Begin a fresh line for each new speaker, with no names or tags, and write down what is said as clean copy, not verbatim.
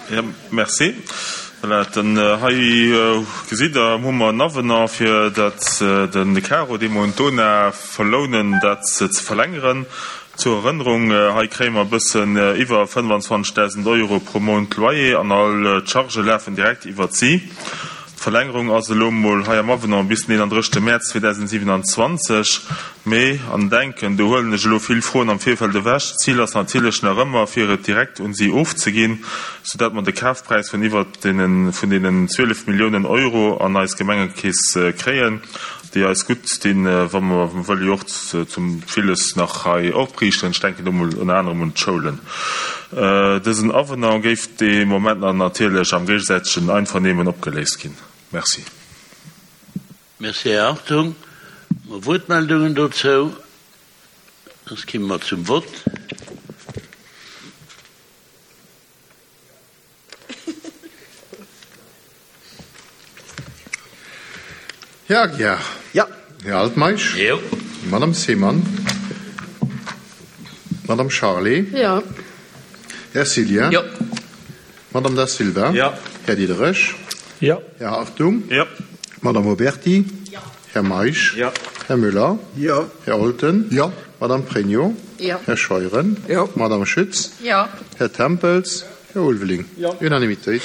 Jo, merci. Voilà, dann hei gesitt Der, hu mer en Avenant, fir dat den Caro, dee mer un d'ONA verlounen, dat ze verlängeren. Zur Erënnerung, hei kréie mer e bëssen iwwer 25.000 Euro pro Mount Loyer an all d'Chargë lafen direkt iwwert si. D'Verlängerung ass elo mol hei am Avenant bis den 31 Mäerz 2027. Mee, an denken, do huelen ech elo vill Froen am Virfeld ewech, d'Zil ass natierlech nach ëmmer, fir et direkt un si ofzeginn, soudatt mer de Kafpräis vun iwwert deene vun deenen 12 Milliounen Euro an eis Gemengekeess kréien, déi eis gutt stinn, wa mer wëlle jo och zum villes nach hei opriichten, ech denken do mol ënner anerem un d'Schoulen. Dësen Avenant géif dee Moment nach natierlech am géigesäitegen Einvernehmen opgeléist ginn. Merci.
Merci, Här Hartung. Hu mer Wuertmeldungen dozou? Soss kimme mer zum Vott.
Här Aguiar.
Jo.
Här Altmeisch.
Jo.
Madame Seemann. Madame Charlé.
Jo.
Här Cillien.
Jo.
Madame Da Silva.
Jo.
Här Diderich.
Jo.
Här Hartung.
Jo.
Madame Oberti.
Jo.
Här Meisch.
Jo.
Här Müller.
Jo.
Här Olten.
Jo.
Madame Pregno.
Jo.
Här Scheuren.
Jo.
Madame Schütz.
Jo.
Här Tempels. Här Ulveling.
Jo.
Unanimitéit.